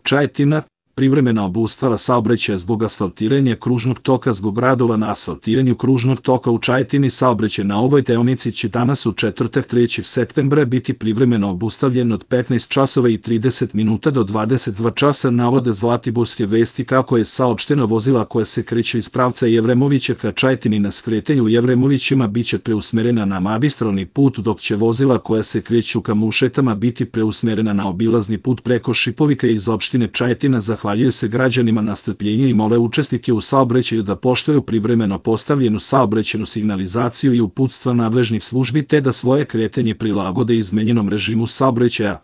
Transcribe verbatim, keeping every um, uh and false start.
Čajetina, privremena obustava saobraćaja zbog asfaltiranja kružnog toka. Zbog radova na asfaltiranju kružnog toka u Čajetini saobraćaj na ovoj deonici će danas u četvrtak trećeg septembra biti privremeno obustavljen od petnaest časova i trideset minuta do dvadeset dva časa, navode Zlatiborske vesti. Kako je saopšteno, vozila koja se kreću iz pravca Jevremovića ka Čajetini na skretanju u Jevremovićima biće preusmerena na magistralni put, dok će vozila koja se kreću ka Mušetama biti preusmerena na obilazni put preko Šipovika iz opštine Čajetina. Zahvaljuju se građanima na strpljenju i mole učesnike u saobraćaju da poštuju privremeno postavljenu saobraćajnu signalizaciju i uputstva nadležnih službi, te da svoje kretanje prilagode izmenjenom režimu saobraćaja.